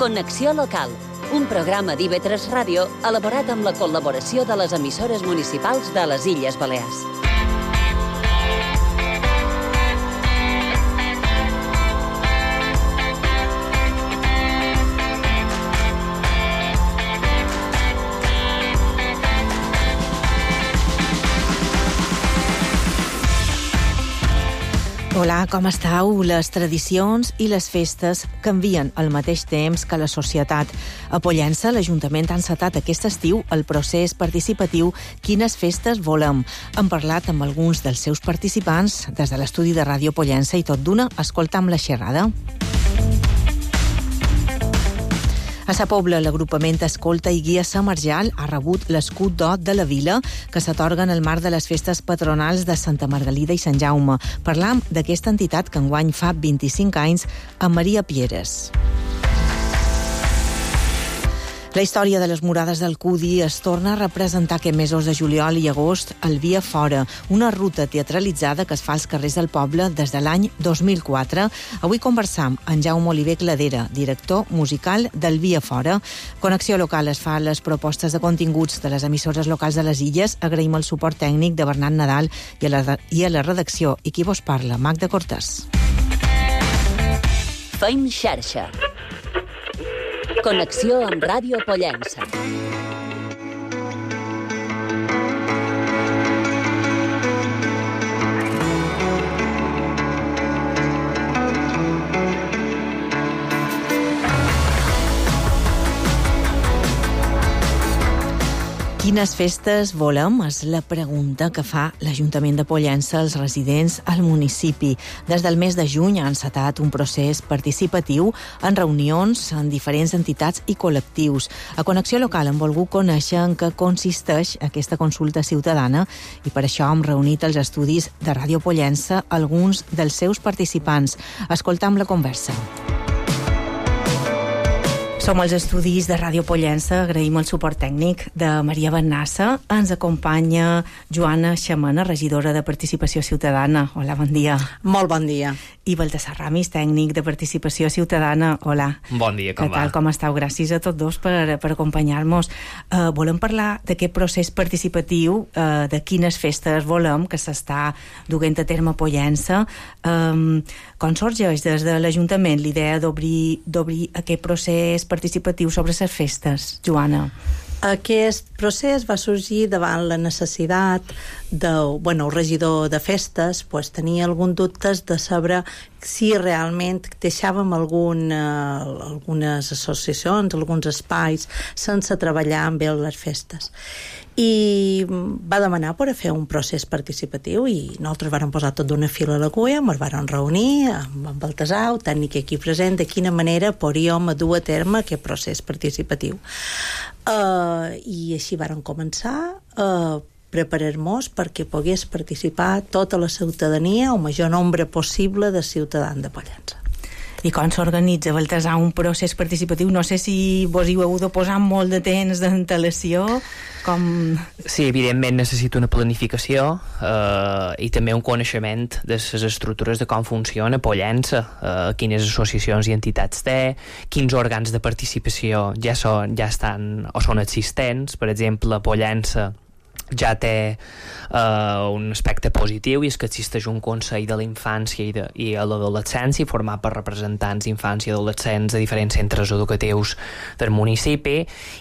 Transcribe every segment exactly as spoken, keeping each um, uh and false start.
Connexió Local, un programa d'I V tres Ràdio elaborat amb la col·laboració de les emissores municipals de les Illes Balears. Hola, com estàu? Les tradicions i les festes canvien al mateix temps que la societat. A Pollença, l'Ajuntament ha encetat aquest estiu el procés participatiu Quines festes volem. Hem parlat amb alguns dels seus participants des de l'estudi de Ràdio Pollença i tot d'una escoltam la xerrada. A Sa Pobla, l'agrupament Escolta i Guia Samarjal ha rebut l'escut d'or de la vila que s'atorga en el marc de les festes patronals de Santa Margalida i Sant Jaume. Parlam d'aquesta entitat que enguany fa vint-i-cinc anys amb Maria Pieres. La història de les murades del Cudi es torna a representar aquests mesos de juliol i agost al Via Fora, una ruta teatralitzada que es fa als carrers del poble des de l'any dos mil quatre. Avui conversam amb Jaume Oliver Cladera, director musical del Via Fora. Connexió Local es fa les propostes de continguts de les emissores locals de les Illes. Agraïm el suport tècnic de Bernat Nadal i a la, i a la redacció. I qui vos parla? Magda Cortès. Feim xarxa. Connexió amb Ràdio Pollença. Quines festes volem? És la pregunta que fa l'Ajuntament de Pollença als residents al municipi. Des del mes de juny ha encetat un procés participatiu en reunions en diferents entitats i col·lectius. A Connexió Local hem volgut conèixer en què consisteix aquesta consulta ciutadana i per això hem reunit als estudis de Ràdio Pollença alguns dels seus participants. Escoltam la conversa. Som als estudis de Ràdio Pollença, agraïm el suport tècnic de Maria Bennassa. Ens acompanya Joana Xamana, regidora de Participació Ciutadana. Hola, bon dia. Molt bon dia. I Baltasar Ramis, tècnic de Participació Ciutadana. Hola. Bon dia, com va? Què tal, com estàu? Gràcies a tots dos per, per acompanyar-nos. Uh, volem parlar d'aquest procés participatiu, uh, de quines festes volem, que s'està duent a terme a Pollença. Um, com sorgeix des de l'Ajuntament l'idea d'obrir d'obrir aquest procés participatiu sobre les festes, Joana? Aquest procés va sorgir davant la necessitat de, bueno, el regidor de festes pues, tenia algun dubtes de saber si realment deixàvem algun, eh, algunes associacions, alguns espais sense treballar amb ell les festes. I va demanar per a fer un procés participatiu i nosaltres vam posar tot d'una fila a la cuia, ens vam reunir amb en Baltasar, el tècnic aquí present, de quina manera podríem dur a terme aquest procés participatiu. Uh, I així vàrem començar a preparar-nos perquè pogués participar tota la ciutadania, o major nombre possible de ciutadans de Pollença. I com s'organitza, Baltasar, un procés participatiu? No sé si vos hi heu de posar molt de temps d'antelació, com... Sí, evidentment necessita una planificació eh, i també un coneixement de les estructures de com funciona Pollença, eh, quines associacions i entitats té, quins òrgans de participació ja, són, ja estan o són existents. Per exemple, Pollença ja té uh, un aspecte positiu, i és que existeix un Consell de la Infància i, de, i l'Adolescència format per representants d'infància i adolescents de diferents centres educatius del municipi,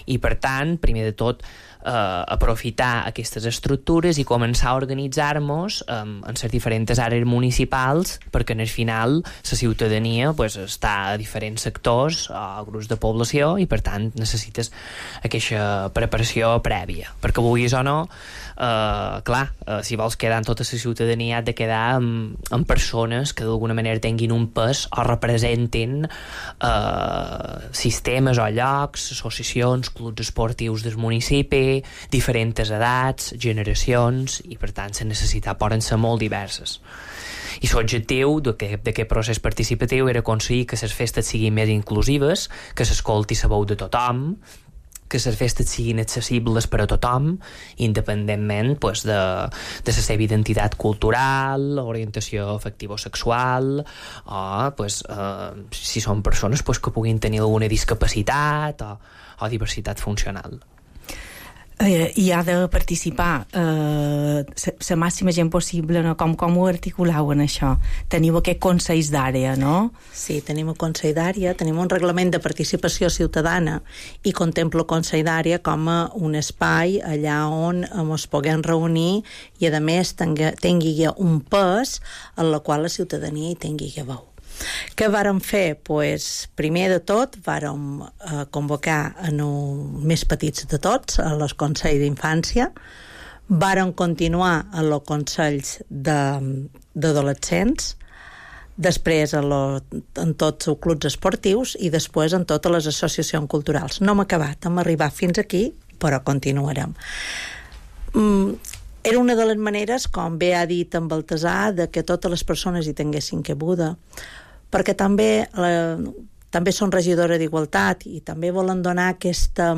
i per tant, primer de tot, Uh, aprofitar aquestes estructures i començar a organitzar-nos um, en les diferents àrees municipals, perquè en el final la ciutadania pues, està a diferents sectors o grups de població, i per tant necessites aquesta preparació prèvia, perquè vulguis o no, uh, clar, uh, si vols quedar en tota la ciutadania has de quedar amb, amb persones que d'alguna manera tinguin un pes o representin uh, sistemes o llocs, associacions, clubs esportius del municipi, diferents edats, generacions, i per tant les necessitats poden ser molt diverses. I l'objectiu d'aquest procés participatiu era aconseguir que les festes siguin més inclusives, que s'escolti la veu de tothom, que les festes siguin accessibles per a tothom, independentment pues, de, de la seva identitat cultural, orientació afectivo-sexual, o pues, eh, si són persones pues, que puguin tenir alguna discapacitat o, o diversitat funcional. Eh, hi ha de participar eh, la màxima gent possible, no? Com, com ho articuleu en això? Teniu aquest Consell d'Àrea, no? Sí, tenim un Consell d'Àrea, tenim un reglament de participació ciutadana i contempla el Consell d'Àrea com a un espai allà on ens puguem reunir i, a més, tingui, tingui un pes en la qual la ciutadania hi tingui veu. Què vàrem fer? Pues, primer de tot, vàrem eh, convocar en els més petits de tots, a los consells d'infància, vàrem continuar en els consells d'adolescents, després en, lo, en tots els clubs esportius i després en totes les associacions culturals. No hem acabat, hem arribat fins aquí, però continuarem. Mm, era una de les maneres, com bé ha dit en Baltasar, de que totes les persones hi tinguessin cabuda, perquè també, la, també són regidora d'Igualtat i també volen donar aquesta,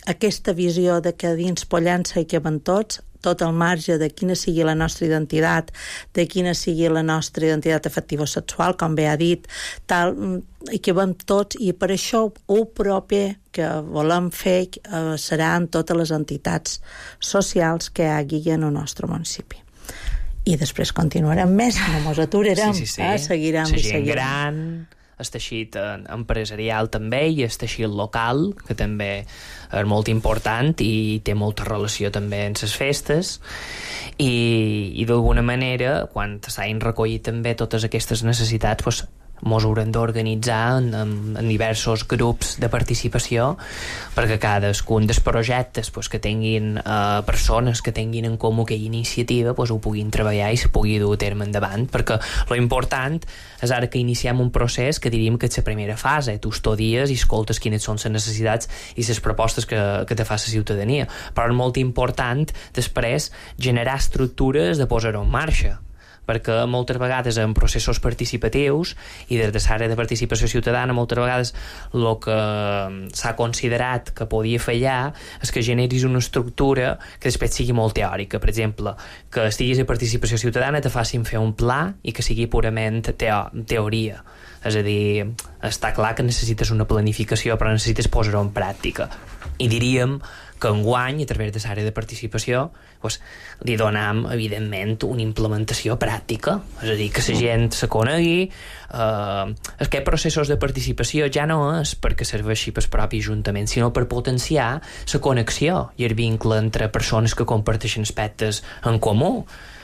aquesta visió de que dins Pollença hi caben tots, tot el marge de quina sigui la nostra identitat, de quina sigui la nostra identitat afectivo-sexual, com bé ha dit, tal, hi cabem tots, i per això el propi que volem fer eh, serà en totes les entitats socials que hi hagi en el nostre municipi. I després continuarem més, no ens aturarem, sí, sí, sí. Eh? seguirem la i gent seguirem. gran, el teixit empresarial també i el teixit local, que també és molt important i té molta relació també amb les festes, i, i d'alguna manera, quan s'hagin recollit també totes aquestes necessitats, doncs, mos haurem d'organitzar en, en, en diversos grups de participació perquè cadascun dels projectes pues, que tinguin eh, persones que tinguin en comú aquella iniciativa pues, ho puguin treballar i se pugui dur a terme endavant, perquè lo important és ara que iniciem un procés que diríem que és la primera fase, tu estudies i escoltes quines són les necessitats i les propostes que, que te fa la ciutadania, però és molt important després generar estructures de posar-ho en marxa, perquè moltes vegades en processos participatius i des de l'àrea de participació ciutadana moltes vegades el que s'ha considerat que podia fallar és que generis una estructura que després sigui molt teòrica, per exemple que estiguis a participació ciutadana te facin fer un pla i que sigui purament teo teoria, és a dir està clar que necessites una planificació però necessites posar-ho en pràctica, i diríem que enguany, a través de l'àrea de participació, pues, li donam, evidentment, una implementació pràctica. És a dir, que la gent se conegui. Eh, aquests processos de participació ja no és perquè serveixi pel propi ajuntament, sinó per potenciar la connexió i el vincle entre persones que comparteixen aspectes en comú.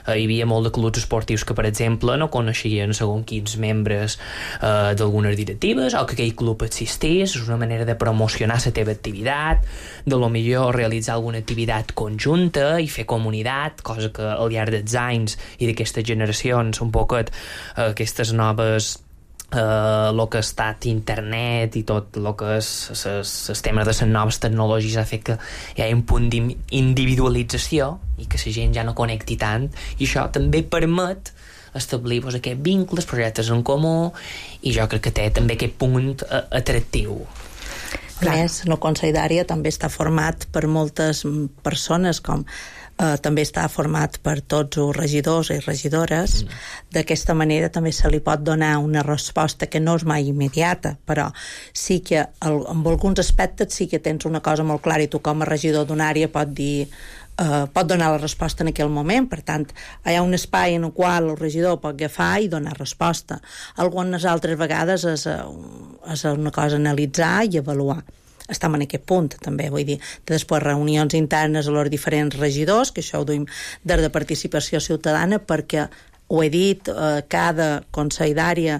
Hi havia molt de clubs esportius que, per exemple, no coneixien segons quins membres eh, d'algunes directives o que aquell club existís. És una manera de promocionar la teva activitat, de lo millor realitzar alguna activitat conjunta i fer comunitat, cosa que al llarg dels anys i d'aquestes generacions un poquet eh, aquestes noves Uh, el que ha estat internet i tot el que és el tema de les noves tecnologies ha fet que hi ha un punt d'individualització i que la gent ja no connecti tant, i això també permet establir pues, aquests vincles, projectes en comú, i jo crec que té també aquest punt uh, atractiu. A més, el Consell d'Àrea també està format per moltes persones, com Uh, també està format per tots els regidors i regidores. Mm. D'aquesta manera també se li pot donar una resposta que no és mai immediata, però sí que el, en alguns aspectes sí que tens una cosa molt clara i tu com a regidor d'una àrea pot dir Uh, pot donar la resposta en aquell moment. Per tant, hi ha un espai en el qual el regidor pot agafar i donar resposta. Algunes altres vegades és, és una cosa analitzar i avaluar. Estem en aquest punt, també, vull dir, després reunions internes a els diferents regidors, que això ho duim des de participació ciutadana, perquè ho he dit, eh, cada consell d'àrea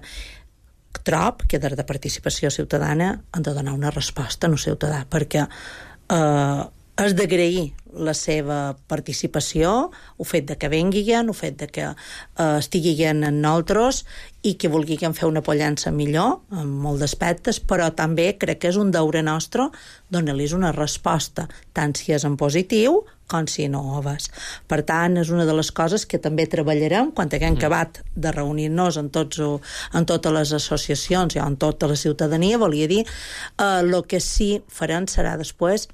trob que des de participació ciutadana han de donar una resposta al ciutadà, perquè eh, és d'agrair la seva participació, el fet de que venguin, el fet de que eh, estiguin en nosaltres i que vulguin fer una Pollença millor en molts aspectes, però també crec que és un deure nostre donar-los una resposta, tant si és en positiu com si no ho és. Per tant, és una de les coses que també treballarem quan haguem mm. acabat de reunir-nos en, tots, en totes les associacions i en tota la ciutadania, volia dir, el eh, que sí farem serà després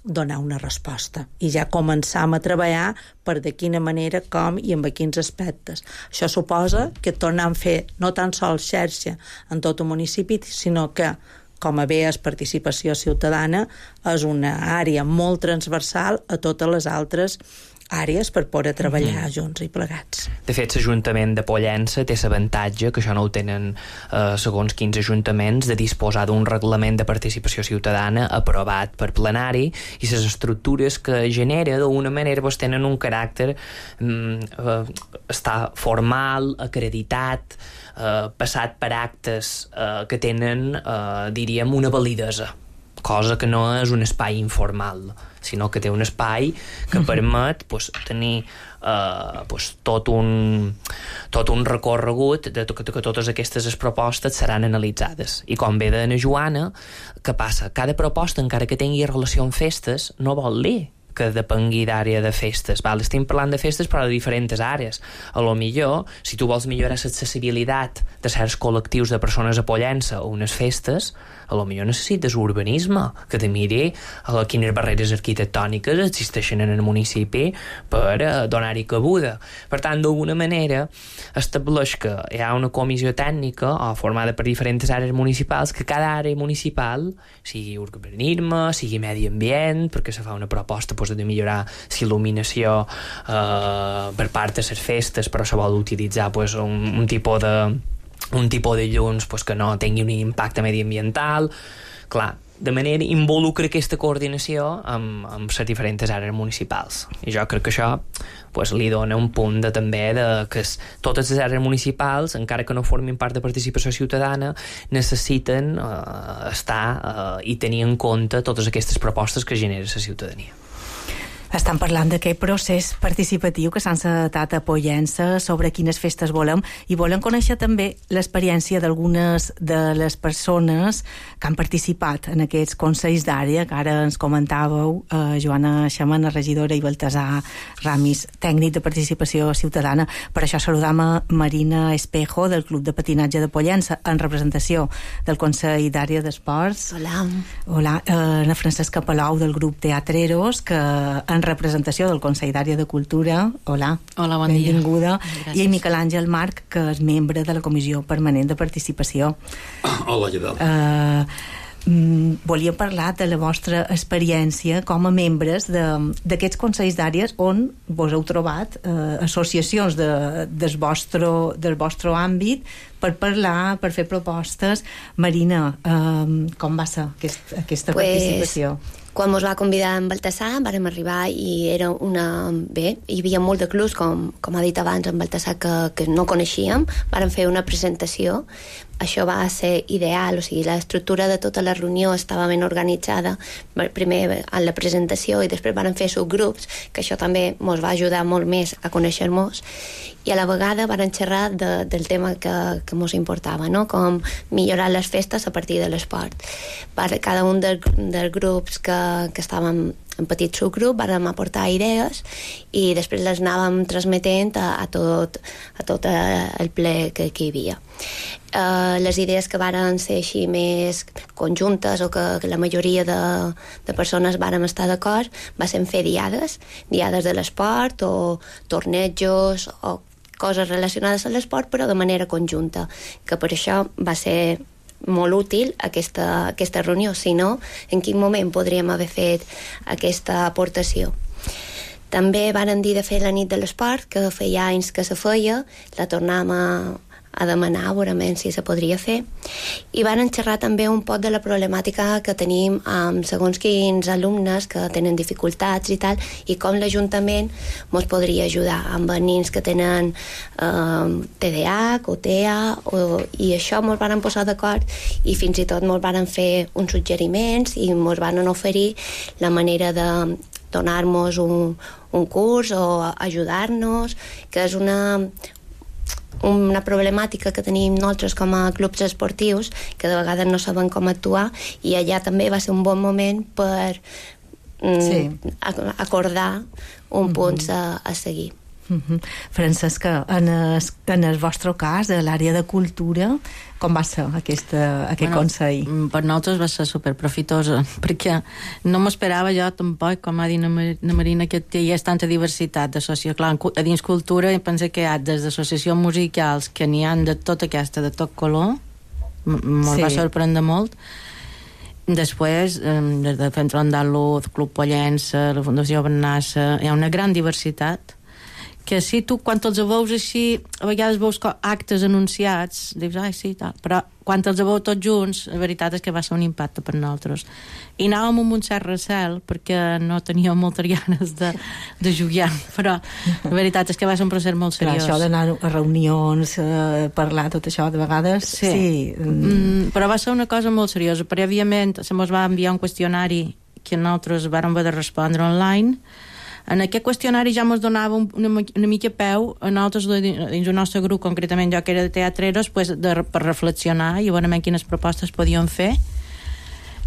donar una resposta i ja començam a treballar per de quina manera, com i amb quins aspectes. Això suposa que tornem a fer no tan sols xarxa en tot el municipi, sinó que, com a bé és participació ciutadana, és una àrea molt transversal a totes les altres àrees per poder treballar mm-hmm. junts i plegats. De fet, l'Ajuntament de Pollença té l'avantatge, que això no ho tenen eh, segons quins ajuntaments, de disposar d'un reglament de participació ciutadana aprovat per plenari, i les estructures que genera d'alguna manera pues, tenen un caràcter mm, eh, està formal, acreditat, eh, passat per actes eh, que tenen, eh, diríem, una validesa, cosa que no és un espai informal, sinó que té un espai que permet pues, tenir uh, pues, tot, un, tot un recorregut de que, que totes aquestes propostes seran analitzades. I com bé deia Joana, què passa? Cada proposta, encara que tingui relació amb festes, no vol dir que depengui d'àrea de festes. Val? Estem parlant de festes però de diferents àrees. A lo millor, si tu vols millorar l'accessibilitat de certs col·lectius de persones a Pollença o unes festes, a lo millor necessites urbanisme, que te miri a quines barreres arquitectòniques existeixen en el municipi per uh, donar-hi cabuda. Per tant, d'alguna manera, estableix que hi ha una comissió tècnica o formada per diferents àrees municipals, que cada àrea municipal, sigui urbanisme, sigui medi ambient, perquè se fa una proposta pues, de millorar l'il·luminació eh, per part de les festes, però se vol utilitzar pues, un, un tipus de un tipus de llums pues, que no tingui un impacte mediambiental. Clar, de manera involucra aquesta coordinació amb, amb les diferents àrees municipals. I jo crec que això pues, li dona un punt de, també de que es, totes les àrees municipals, encara que no formin part de participació ciutadana, necessiten eh, estar eh, i tenir en compte totes aquestes propostes que genera la ciutadania. Estan parlant d'aquest procés participatiu que s'ha encetat a Pollença sobre quines festes volem, i volem conèixer també l'experiència d'algunes de les persones que han participat en aquests consells d'àrea, que ara ens comentàveu, eh, Joana Xamana, regidora, i Baltasar Ramis, tècnic de participació ciutadana. Per això saludam a Marina Espejo, del Club de Patinatge de Pollença, en representació del Consell d'Àrea d'Esports. Hola. Hola, eh, a Francesca Palau, del grup Teatreros, que en representació del Consell d'Àrea de Cultura. Hola. Hola, bon dia. Benvinguda. I a Miquel Àngel Marc, que és membre de la Comissió Permanent de Participació. Hola, què tal? Uh, mm, volíem parlar de la vostra experiència com a membres d'aquests consells d'àrees on vos heu trobat uh, associacions de, del, vostre, del vostre àmbit per parlar, per fer propostes. Marina, uh, com va ser aquest, aquesta pues... participació? Quan ens va convidar en Baltasar vàrem arribar i era una... Bé, hi havia molt de clubs, com, com ha dit abans en Baltasar, que, que no coneixíem. Vàrem fer una presentació. Això va ser ideal, o sigui, l'estructura de tota la reunió estava ben organitzada, primer a la presentació i després vàrem fer subgrups, que això també ens va ajudar molt més a conèixer-nos, i a la vegada vàrem xerrar de, del tema que, que ens importava, no? Com millorar les festes a partir de l'esport. Per cada un dels, dels grups que, que estàvem en petit subgrup vàrem aportar idees i després les anàvem transmetent a, a, tot, a tot el ple que, que hi havia. Uh, les idees que varen ser així més conjuntes o que, que la majoria de, de persones vàrem estar d'acord va ser fer diades, diades de l'esport o tornejos o coses relacionades a l'esport però de manera conjunta, que per això va ser molt útil aquesta, aquesta reunió, si no, en quin moment podríem haver fet aquesta aportació. També varen dir de fer la nit de l'esport, que feia anys que se feia, la tornàvem a, a demanar, veurament si se podria fer, i varen xerrar també un poc de la problemàtica que tenim amb segons quins alumnes que tenen dificultats i tal, i com l'Ajuntament ens podria ajudar amb nens que tenen eh, T D A H o T E A, o, i això ens van posar d'acord i fins i tot ens van fer uns suggeriments i ens van oferir la manera de donar-nos un, un curs o ajudar-nos, que és una una problemàtica que tenim nosaltres com a clubs esportius, que de vegades no sabem com actuar, i allà també va ser un bon moment per mm, sí. acordar un punt mm-hmm. a, a seguir. Uh-huh. Francesc, en el, en el vostre cas, a l'àrea de cultura, com va ser aquesta, aquest bueno, consell? Per nosaltres va ser superprofitosa, perquè no m'esperava jo tampoc, com ha dit la Marina, que hi ha tanta diversitat d'associacions. Clar, a dins cultura penso que hi ha des d'associacions musicals que n'hi ha de tota aquesta, de tot color, me'l sí. va sorprendre molt. Després, des de Centro Andaluz, Club Pollença, la Fundació Bernassa, hi ha una gran diversitat que si tu, quan els veus així, a vegades veus actes anunciats, dius, ai, sí, tal, però quan els veus tots junts, la veritat és que va ser un impacte per nosaltres. I anàvem amb un cert recel, perquè no teníem moltes ganes de, de jugar, però la veritat és que va ser un procés molt seriós. Clar, això d'anar a reunions, a parlar, tot això, de vegades, sí. sí. Mm, però va ser una cosa molt seriosa. Prèviament se mos va enviar un qüestionari que nosaltres vàrem haver de respondre online. En aquest qüestionari ja ens donava una, una mica peu a nosaltres dins el nostre grup, concretament jo que era de teatreros, pues, de, per reflexionar i veure quines propostes podíem fer,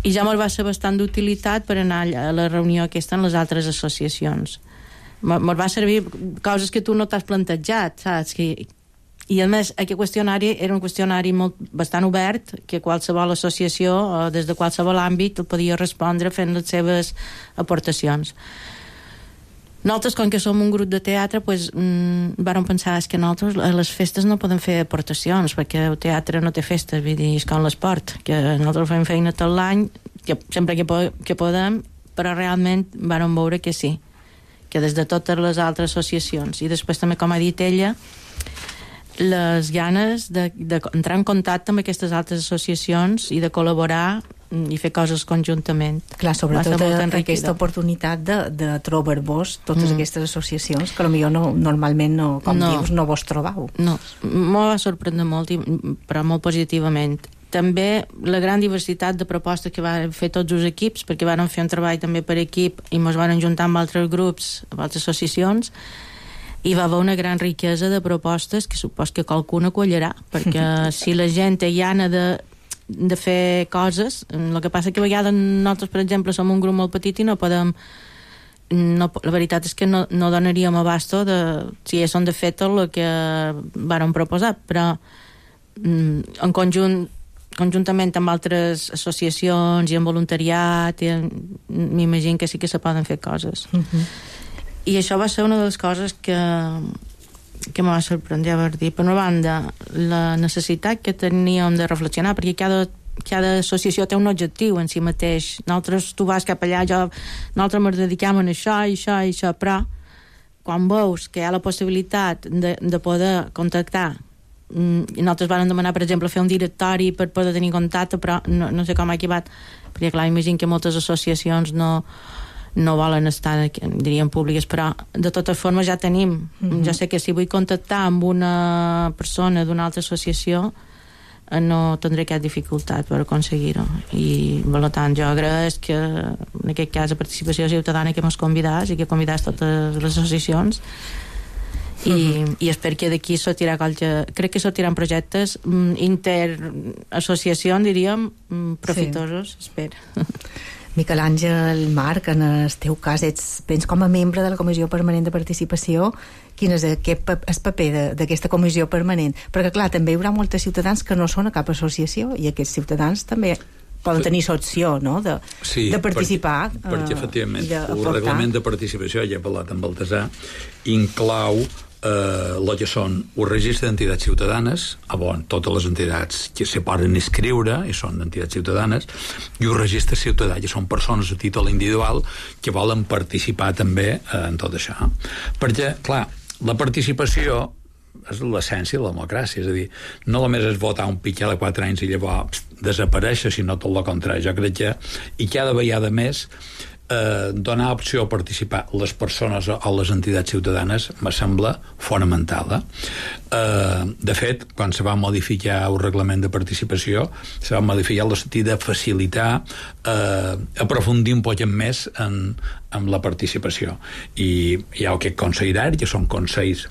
i ja ens va ser bastant d'utilitat per anar a la reunió aquesta en les altres associacions. Ens va servir coses que tu no t'has plantejat, saps? Que, i a més aquest qüestionari era un qüestionari molt, bastant obert, que qualsevol associació o des de qualsevol àmbit el podia respondre fent les seves aportacions. Nosaltres, com que som un grup de teatre, pues, mmm, vàrem pensar que nosaltres a les festes no podem fer aportacions, perquè el teatre no té festes, vull dir, és com l'esport, que nosaltres fem feina tot l'any, que sempre que, po que podem, però realment vàrem veure que sí, que des de totes les altres associacions. I després també, com ha dit ella, les ganes d'entrar en contacte amb aquestes altres associacions i de col·laborar i fer coses conjuntament. Clar, sobretot aquesta oportunitat de, de trobar-vos totes mm. aquestes associacions que potser no, normalment, no, com no. dius, no vos trobau. No, m'ho va sorprendre molt, però molt positivament. També la gran diversitat de propostes que van fer tots els equips, perquè van fer un treball també per equip i ens van juntar amb altres grups, amb altres associacions, i va haver una gran riquesa de propostes que supos que qualcuna collirà, perquè si la gent té gana de de fer coses, el que passa que a vegades nosaltres, per exemple, som un grup molt petit i no podem no, la veritat és que no, no donaríem abasto de, si són de fet el que vàrem proposar, però en conjunt conjuntament amb altres associacions i amb voluntariat m'imagino que sí que se poden fer coses. Uh-huh. I això va ser una de les coses que que m'ha sorprendre haver dit. Per una banda, la necessitat que teníem de reflexionar, perquè cada, cada associació té un objectiu en si mateix. Nosaltres, tu vas cap allà, jo, nosaltres ens dediquem a això, i això, i això, però quan veus que hi ha la possibilitat de, de poder contactar, i nosaltres vam demanar, per exemple, fer un directori per poder tenir contacte, però no, no sé com ha acabat, perquè clar, imagino que moltes associacions no no volen estar, diríem, públiques, però de totes formes ja tenim. Mm-hmm. Jo sé que si vull contactar amb una persona d'una altra associació no tindré cap dificultat per aconseguir-ho. I, per tant, jo agraeix que en aquest cas la participació ciutadana que m'has convidat i que convidats totes les associacions i, mm-hmm. i espero que d'aquí sortirà qualque... crec que sortiran projectes interassociacions, diríem, profitosos, sí. Espero. Miquel Àngel, Marc, en el teu cas ets, vens com a membre de la Comissió Permanent de Participació. Quin és aquest el paper d'aquesta comissió permanent? Perquè clar, també hi haurà molts ciutadans que no són a cap associació i aquests ciutadans també poden tenir l'opció, no?, de, sí, de participar. Perquè, perquè efectivament, el reglament de participació, ja he parlat amb Baltasar, inclou eh, el que són un registre d'entitats ciutadanes, on totes les entitats que se poden inscriure i són entitats ciutadanes, i un registre ciutadà, que són persones a títol individual que volen participar també eh, en tot això. Perquè, clar, la participació és l'essència de la democràcia, és a dir, no només és votar un pitjor de quatre anys i llavors pst, desaparèixer, sinó tot el contrari. Jo crec que, i cada vegada més, eh, donar opció a participar les persones o les entitats ciutadanes me sembla fonamental. Eh? Eh, de fet, quan se va modificar el reglament de participació, se va modificar el sentit de facilitar, eh, aprofundir un poc més en, en la participació. I hi ha aquest consell d'art, que són consells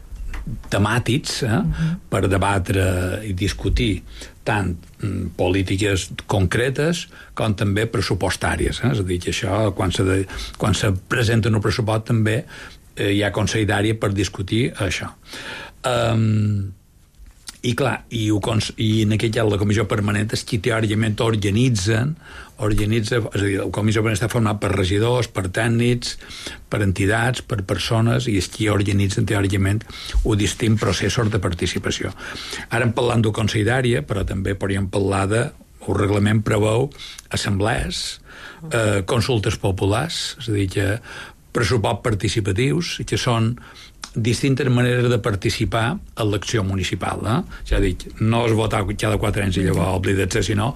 temàtics, eh, uh-huh. per debatre i discutir tant mm, polítiques concretes com també pressupostàries, eh? És a dir, que això quan se, de, quan se presenta un pressupost també eh, hi ha Consell d'Àrea per discutir això. Um, i clar, i, ho, i en aquest cas la comissió permanent és qui teòricament organitzen organitza, és a dir, la comissió permanent està format per regidors, per tècnics, per entitats, per persones, i és qui organitzen teòricament un distint processos de participació. Ara hem parlat d'un Consell d'Àrea, però també podríem parlar de el reglament preveu assemblees, eh, consultes populars, és a dir, que pressupost participatius, que són distintes maneres de participar en l'acció municipal. Eh? Ja dic, no és votar cada quatre anys i llavors oblidar-se, sinó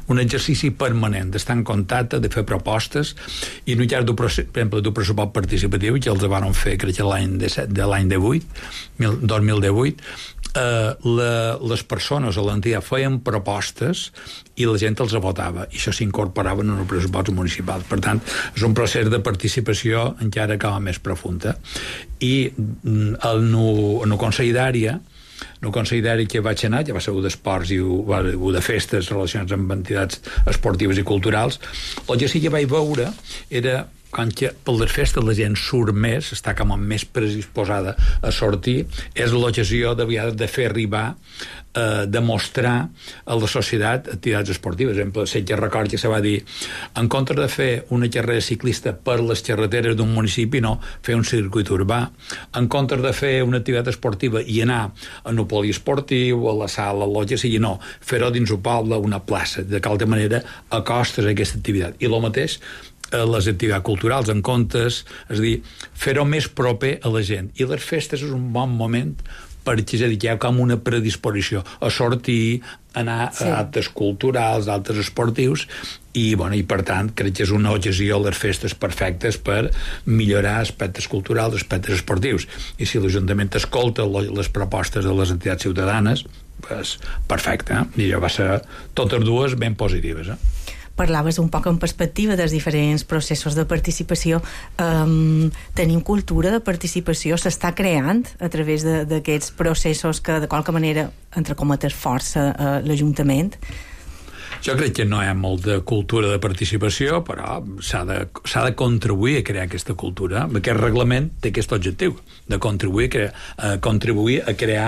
un exercici permanent, d'estar en contacte, de fer propostes, i en un cas, per exemple, d'un pressupost participatiu, que els van fer, crec que l'any de l'any divuit, dos mil divuit, eh, la, les persones o l'entitat feien propostes i la gent els votava, i això s'incorporava en el pressupost municipal. Per tant, és un procés de participació encara com a més profunda. I en el Consell d'Àrea, en el Consell d'Àrea que vaig anar, que va ser un d'esports i un de festes relacionats amb entitats esportives i culturals, el que sí que vaig veure era quan que per les festes la gent surt més, està com a més predisposada a sortir, és l'ocasió de vegades de fer arribar, eh, de mostrar a la societat activitats esportives. Per exemple, sé que record que se va dir, en contra de fer una carrera ciclista per les carreteres d'un municipi, no, fer un circuit urbà. En contra de fer una activitat esportiva i anar a un poliesportiu, a la sala, a que sigui, no, fer-ho dins un poble, una plaça, de qualque manera acostes a aquesta activitat. I el mateix les activitats culturals, en comptes, és a dir, fer-ho més proper a la gent. I les festes és un bon moment perquè, és a dir, hi ha com una predisposició a sortir, anar sí. a actes culturals, a actes esportius, i, bueno, i per tant, crec que és una ocasió les festes perfectes per millorar aspectes culturals, aspectes esportius. I si l'Ajuntament escolta les propostes de les entitats ciutadanes, pues, perfecte, eh? I això va ser totes dues ben positives, eh? Parlaves un poc en perspectiva dels diferents processos de participació. Um, tenim cultura de participació, s'està creant a través d'aquests processos que de qualque manera, entre cometes, força uh, l'Ajuntament? Jo crec que no hi ha molt de cultura de participació, però s'ha de, s'ha de contribuir a crear aquesta cultura. Aquest reglament té aquest objectiu, de contribuir a, crear, a contribuir a crear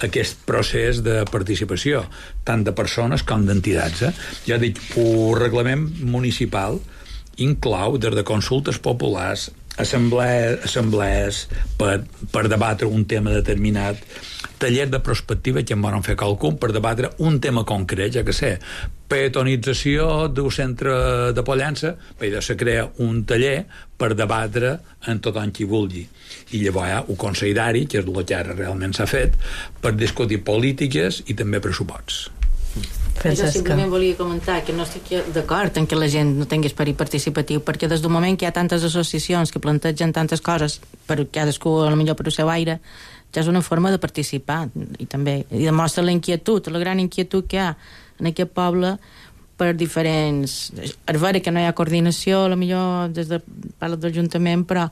aquest procés de participació, tant de persones com d'entitats. Eh? Ja dic, el reglament municipal inclou des de consultes populars, assemblees, assemblees per, per debatre un tema determinat, tallers de prospectiva que en volen fer qualcun per debatre un tema concret, ja que sé, peatonització d'un centre de Pollença, però se crea un taller per debatre en tothom qui vulgui. I llavors hi ha un Consell d'Àrea, que és el que ara realment s'ha fet, per discutir polítiques i també pressuposts. Jo simplement volia comentar que no estic d'acord en que la gent no tingui esperit participatiu, perquè des del moment que hi ha tantes associacions que plantegen tantes coses per cadascú, a lo millor per el seu aire, ja és una forma de participar, i també i demostra la inquietud, la gran inquietud que hi ha en aquest poble per diferents... És vera que no hi ha coordinació, a lo millor des de part de l'Ajuntament, però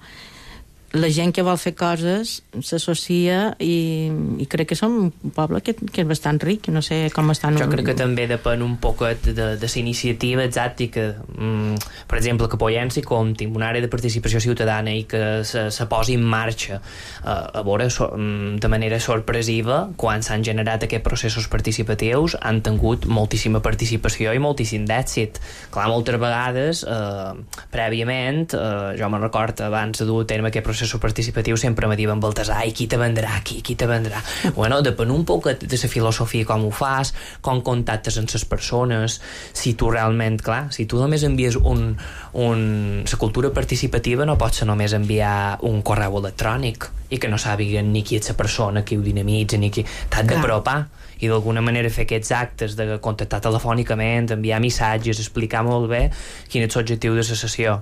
la gent que vol fer coses s'associa i, i crec que som un poble que, que és bastant ric, no sé com estan... Jo crec que també depèn un poquet de, de la iniciativa exacta, que, mm, per exemple, que Pollença compti amb una àrea de participació ciutadana i que se, se posi en marxa eh, a veure so, de manera sorpresiva quan s'han generat aquests processos participatius, han tingut moltíssima participació i moltíssim d'èxit. Clar, moltes vegades eh, prèviament, eh, jo me'n recordo abans de dur a terme aquest procés participatiu sempre me diuen Baltasar, i qui te vendrà aquí, qui te vendrà? Bueno, depèn un poc de la filosofia com ho fas, com contactes amb les persones, si tu realment, clar, si tu només envies un, un... la cultura participativa no pot ser només enviar un correu electrònic i que no sàpiguen ni qui és la persona, qui ho dinamitza, ni qui... T'has d'apropar i d'alguna manera fer aquests actes de contactar telefònicament, enviar missatges, explicar molt bé quin és l'objectiu de la sessió.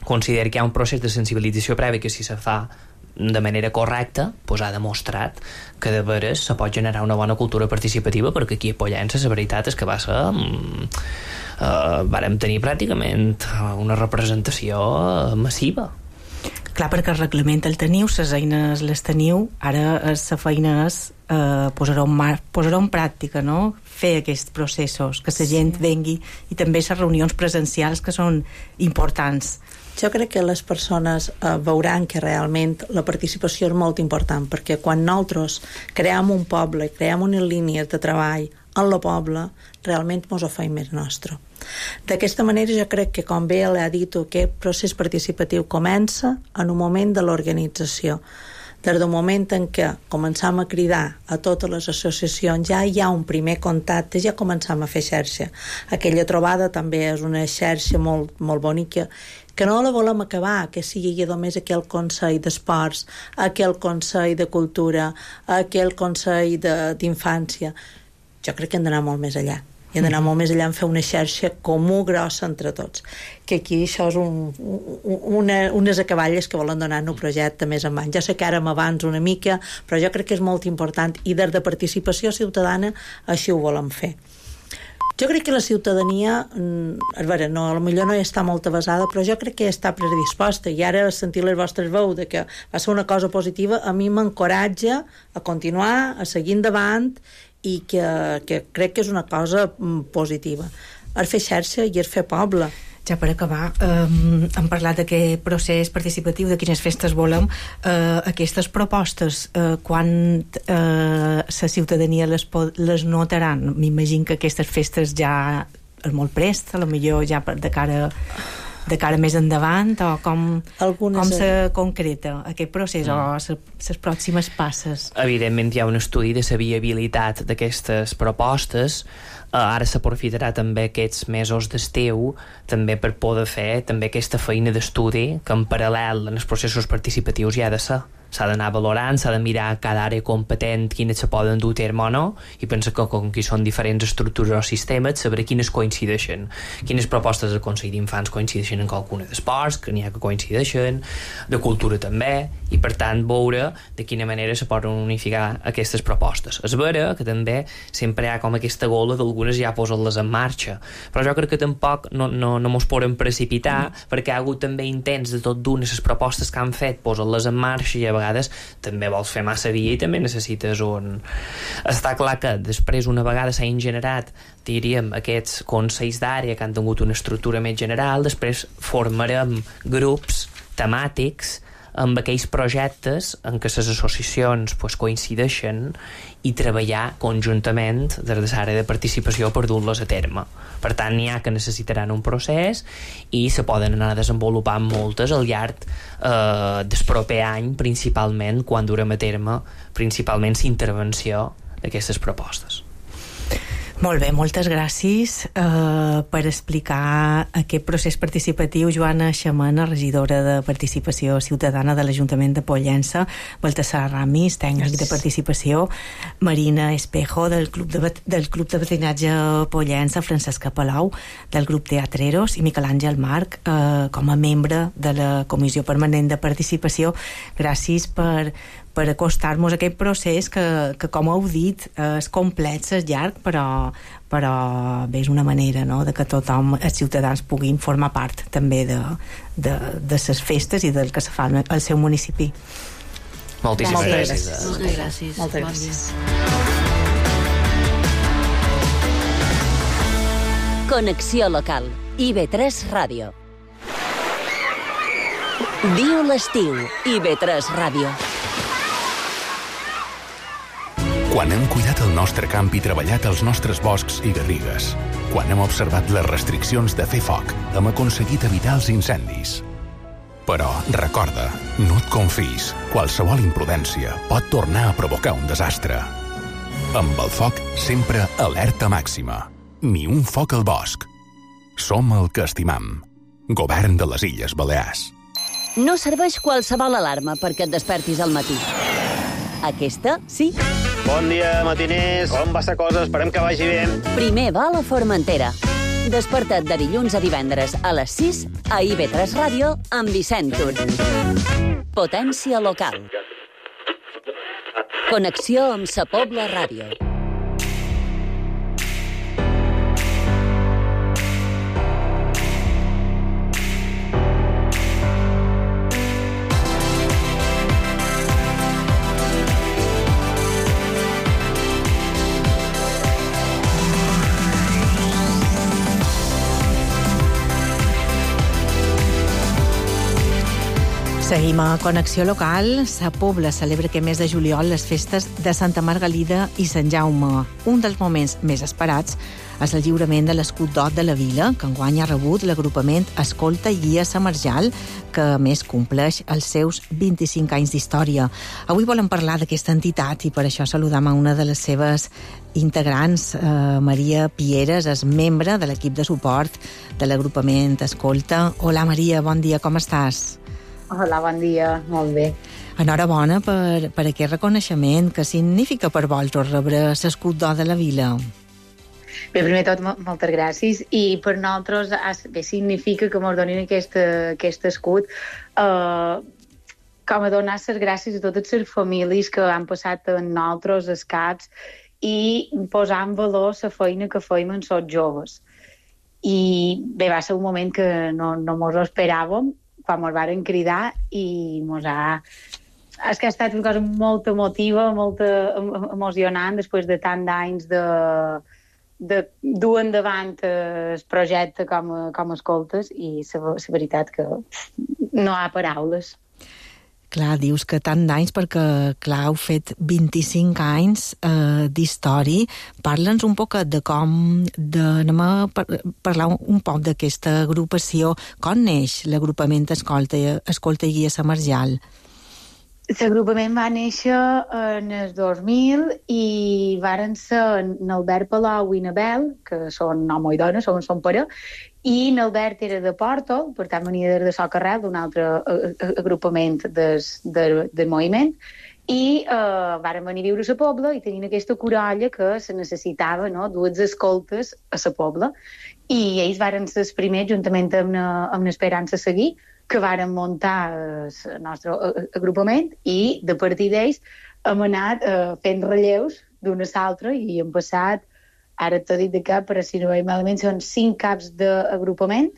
Considero que hi ha un procés de sensibilització previ que si se fa de manera correcta, doncs ha demostrat que de veres se pot generar una bona cultura participativa, perquè aquí a Pollença la veritat és que va ser mm, uh, vàrem tenir pràcticament una representació massiva. Clar, perquè el reglament el teniu, les eines les teniu, ara la feina és eh, posar-ho en, mar, posar en pràctica, no? Fer aquests processos, que la gent sí. vengui, i també les reunions presencials que són importants. Jo crec que les persones eh, veuran que realment la participació és molt important, perquè quan nosaltres creem un poble, creem unes línies de treball en el poble, realment ens ho feim més nostre. D'aquesta manera jo crec que, com bé l'ha dit, aquest procés participatiu comença en un moment de l'organització. Des del moment en què començam a cridar a totes les associacions, ja hi ha un primer contacte, ja començam a fer xarxa. Aquella trobada també és una xarxa molt, molt bonica, que no la volem acabar, que sigui només aquell Consell d'Esports, aquell Consell de Cultura, aquell Consell d'infància. Jo crec que hem d'anar molt més allà. I hem d'anar molt més allà en fer una xarxa comú grossa entre tots. Que aquí això és un, una, unes acaballes que volen donar un projecte més en mans. Ja sé que ara m'avanço una mica, però jo crec que és molt important, i des de participació ciutadana així ho volem fer. Jo crec que la ciutadania, a veure, no, potser no hi està molt avasada, però jo crec que està predisposta, i ara sentir les vostres veus de que va ser una cosa positiva, a mi m'encoratja a continuar, a seguir endavant, i que, que crec que és una cosa positiva. És fer xarxa i és fer poble. Ja per acabar, eh, hem parlat d'aquest procés participatiu, de quines festes volem. Eh, aquestes propostes, eh, quan eh, la ciutadania les, les notaran? M'imagino que aquestes festes ja és molt prest, a lo millor ja de cara, de cara més endavant, o com, com se concreta aquest procés, mm. o les pròximes passes? Evidentment hi ha un estudi de la viabilitat d'aquestes propostes. Uh, ara s'aprofitarà també aquests mesos d'estiu també per poder fer també aquesta feina d'estudi que en paral·lel en els processos participatius hi ha de ser. S'ha d'anar valorant, s'ha de mirar cada àrea competent quines se poden dur a terme o no, i penso que com que hi són diferents estructures o sistemes, saber quines coincideixen, quines propostes del Consell d'Infants coincideixen en qualcuna d'esports, que n'hi ha que coincideixen, de cultura també, i per tant veure de quina manera se poden unificar aquestes propostes. És vera que també sempre hi ha com aquesta gola d'algunes ja posar-les en marxa, però jo crec que tampoc no, no, no mos podem precipitar, mm. perquè hi ha hagut també intents de tot d'unes les propostes que han fet, posar-les en marxa, i a vegades també vols fer massa via i també necessites un... Està clar que després, una vegada s'han generat, diríem, aquests consells d'àrea que han tingut una estructura més general, després formarem grups temàtics amb aquells projectes en què les associacions pues, coincideixen, i treballar conjuntament des de l'àrea de participació per dur-los a terme. Per tant, n'hi ha que necessitaran un procés i se poden anar desenvolupant moltes al llarg eh, del proper any, principalment quan durem a terme principalment la intervenció d'aquestes propostes. Molt bé, moltes gràcies eh, per explicar aquest procés participatiu. Joana Xamana, regidora de Participació Ciutadana de l'Ajuntament de Pollença, Baltasar Ramis, tècnic gràcies. De participació, Marina Espejo, del Club de, del Club de Veïnatge Pollença, Francesca Palau, del grup Teatreros, i Miquel Àngel Marc, eh, com a membre de la Comissió Permanent de Participació. Gràcies per per acostar-nos a aquest procés que, que com heu dit, és complex, és llarg, però, però bé, és una manera, no?, de que tothom, els ciutadans, puguin formar part també de, de, de les festes i del que se fa al seu municipi. Moltíssimes Moltes gràcies. gràcies. Moltes gràcies. Moltes gràcies. Connexió local. I ve tres Ràdio. Viu l'estiu. I ve tres Ràdio. Quan hem cuidat el nostre camp i treballat els nostres boscs i garrigues, quan hem observat les restriccions de fer foc, hem aconseguit evitar els incendis. Però, recorda, no et confis. Qualsevol imprudència pot tornar a provocar un desastre. Amb el foc, sempre alerta màxima. Ni un foc al bosc. Som el que estimam. Govern de les Illes Balears. No serveix qualsevol alarma perquè et despertis al matí. Aquesta, sí. Bon dia, matiners. Com va la cosa? Esperem que vagi bé. Primer va a la Formentera. Desperta't de dilluns a divendres a les sis a I ve tres Ràdio amb Vicent Tur. Potència local. Connexió amb Sa Pobla Ràdio. Seguim a Connexió Local. Sa Pobla celebra aquest mes de juliol les festes de Santa Margalida i Sant Jaume. Un dels moments més esperats és el lliurament de l'escut d'or de la vila, que enguany ha rebut l'agrupament Escolta i Guia Samarjal, que a més compleix els seus vint-i-cinc anys d'història. Avui volem parlar d'aquesta entitat i per això saludam a una de les seves integrants, eh, Maria Pieres, és membre de l'equip de suport de l'agrupament Escolta. Hola Maria, bon dia, com estàs? Hola, bon dia, molt bé. Enhorabona per, per aquest reconeixement. Què significa per vosaltres rebre l'escut d'or de la vila? Bé, primer tot, moltes gràcies. I per nosaltres bé, significa que ens donin aquest, aquest escut eh, com a donar les gràcies a totes les famílies que han passat amb nosaltres els caps i posar en valor la feina que feim en els joves. I bé, va ser un moment que no, no mos ho esperàvem, quan ens varen cridar i mos ha... És que ha estat una cosa molt emotiva, molt emocionant, després de tant d'anys de, de dur endavant el projecte com, com escoltes, i la veritat que no hi ha paraules. Clar, dius que tant d'anys perquè, clar, heu fet vint-i-cinc anys eh, d'història. Parla'ns un poc de com... De, anem a par parlar un poc d'aquesta agrupació. Com neix l'agrupament Escolta, Escolta i Guia Samarjal? L'agrupament va néixer en el dos mil i varen ser n'Albert Palau i n'Abel, que són home i dona, són, són pare, i n'Albert era de Porto, per tant venia des de Socarrel, d'un altre agrupament des, de, del moviment, i eh, varen venir a viure a la Pobla i tenien aquesta corolla que se necessitava, no?, dues escoltes a la Pobla, i ells varen ser els primers, juntament amb, amb l'Esperança Seguir, que varen muntar el nostre agrupament, i de partir d'ells hem anat eh, fent relleus d'una a l'altra i hem passat, ara t'ho dit de cap, però si no veig malament, són cinc caps d'agrupament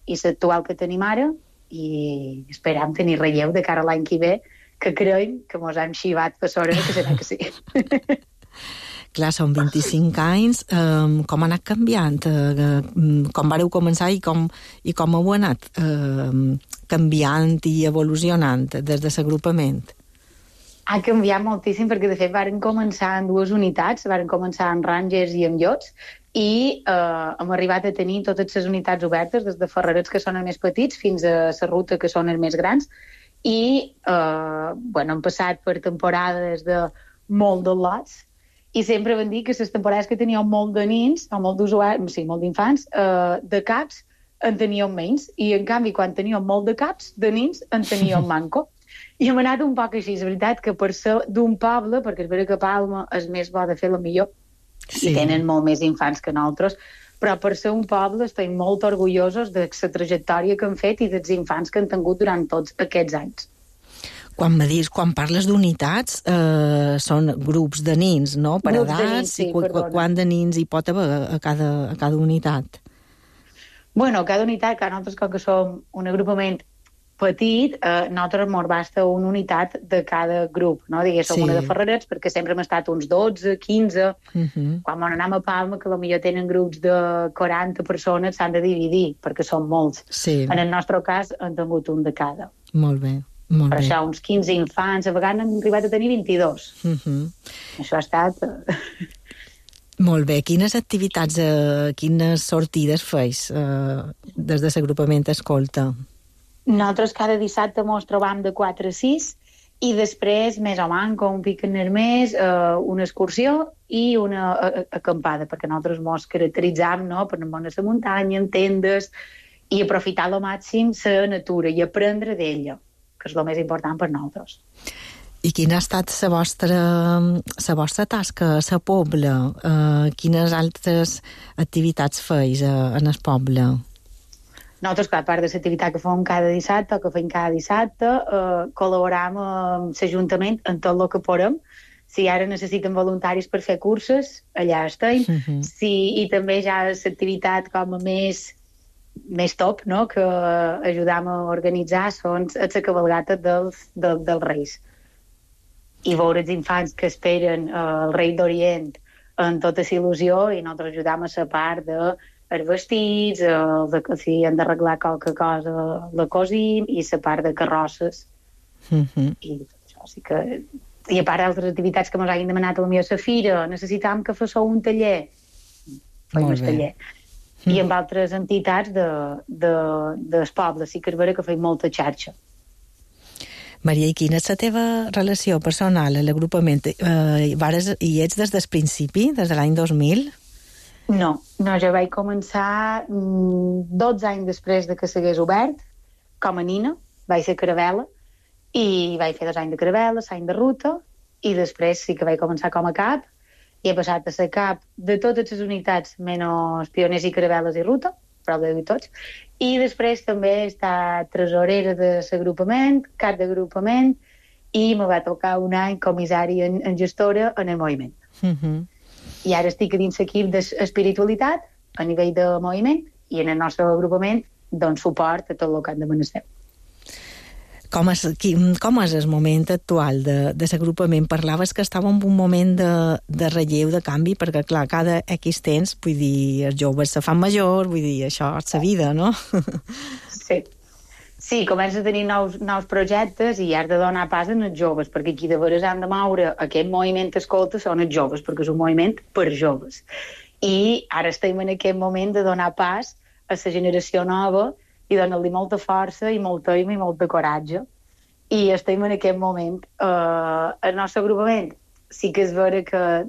i l'actual que tenim ara, i esperam tenir relleu de cara a l'any que ve, que creiem que mos han xivat per sobre, que serà que sí. Clar, són vint-i-cinc anys. Um, com ha anat canviant? Uh, com vareu començar i com, i com heu anat uh, canviant i evolucionant des de l'agrupament? Ha canviat moltíssim perquè, de fet, varen començar en dues unitats. Varen començar en Rangers i en Llots, i eh, hem arribat a tenir totes les unitats obertes, des de Ferrerets, que són els més petits, fins a la ruta, que són els més grans. I eh, bueno, hem passat per temporades de molt de lots, i sempre vam dir que les temporades que teníem molt de nins, o molt d'usuaris, sí, molt d'infants, eh, de caps, en teníem menys, i en canvi, quan teníem molt de caps, de nins, en teníem manco. I hem anat un poc així, és veritat que per ser d'un poble, perquè és veritat que Palma és més bo de fer la millor, sí, i tenen molt més infants que nosaltres, però per ser un poble estem molt orgullosos de la trajectòria que han fet i dels infants que han tingut durant tots aquests anys. Quan me dius, quan parles d'unitats, eh, són grups de nins, no? Per grups edats, de nins, sí, i qu qu quant de nins hi pot haver a cada, a cada unitat? Bueno, cada unitat, que nosaltres, com que som un agrupament petit, eh, nosaltres ens basta una unitat de cada grup, no? Diguéssim, sí, una de Ferrerets, perquè sempre hem estat uns dotze, quinze. Uh -huh. Quan anem a Palma, que potser tenen grups de quaranta persones, s'han de dividir, perquè són molts. Sí. En el nostre cas, hem tingut un de cada. Molt bé. Molt per bé. això, uns quinze infants, a vegades han arribat a tenir vint-i-dos. Uh -huh. Això ha estat... Molt bé. Quines activitats, eh, quines sortides feis eh, des de l'agrupament Escolta? Nosaltres cada dissabte ens trobam de quatre a sis, i després, més o manco, un pic en mes, eh, una excursió i una uh, acampada, perquè nosaltres ens caracteritzam, no?, per anar a la muntanya, en tendes, i aprofitar al màxim la natura i aprendre d'ella, que és el més important per nosaltres. I quina ha estat la vostra, la vostra tasca a la Pobla? Uh, quines altres activitats feis uh, en el poble? Nosaltres, a part de l'activitat que fem cada dissabte, o que fem cada dissabte, eh, col·laboram amb l'Ajuntament en tot el que podem. Si ara necessiten voluntaris per fer curses, allà estem. Uh -huh. Si, I també ja l'activitat com a més, més top, no?, que ajudam a organitzar, són la cabalgata dels, del, dels Reis. I veure els infants que esperen eh, el Rei d'Orient en tota la il·lusió, i nosaltres ajudam a la part de els vestits, el de, si han d'arreglar qualque cosa la cosim, i la part de carrosses Uh-huh. I això sí que... I a part d'altres activitats que ens hagin demanat a la meva Safira, necessitàvem que fes un taller. Feim el taller. Mm. I amb altres entitats de, de, del poble. Sí que és vera que feim molta xarxa. Maria, i quina és la teva relació personal a l'agrupament? Eh, vares, hi ets des del principi, des de l'any dos mil? No, no, jo vaig començar mm, dotze anys després de que s'hagués obert, com a nina, vaig ser caravela, i vaig fer dos anys de caravela, l'any de ruta, i després sí que vaig començar com a cap, i he passat a ser cap de totes les unitats, menys pioners i caraveles i ruta, prou de dir tots, i després també he estat tresorera de l'agrupament, cap d'agrupament, i me va tocar un any comissari en, en gestora en el moviment. Uh-huh. I ara estic a dins l'equip d'espiritualitat a nivell de moviment i en el nostre agrupament dono suport a tot el que han de menester. Com és, com és el moment actual de, de l'agrupament? Parlaves que estava en un moment de, de relleu, de canvi, perquè, clar, cada X temps, vull dir, els joves se fan major, vull dir, això és la vida, no? Sí. Sí, comença a tenir nous, nous projectes i has de donar pas als joves, perquè qui de veres han de moure aquest moviment escolta són els joves, perquè és un moviment per joves. I ara estem en aquest moment de donar pas a la generació nova i donar-li molta força i molta aima i molta coratge. I estem en aquest moment. Uh, el nostre agrupament sí que és vera que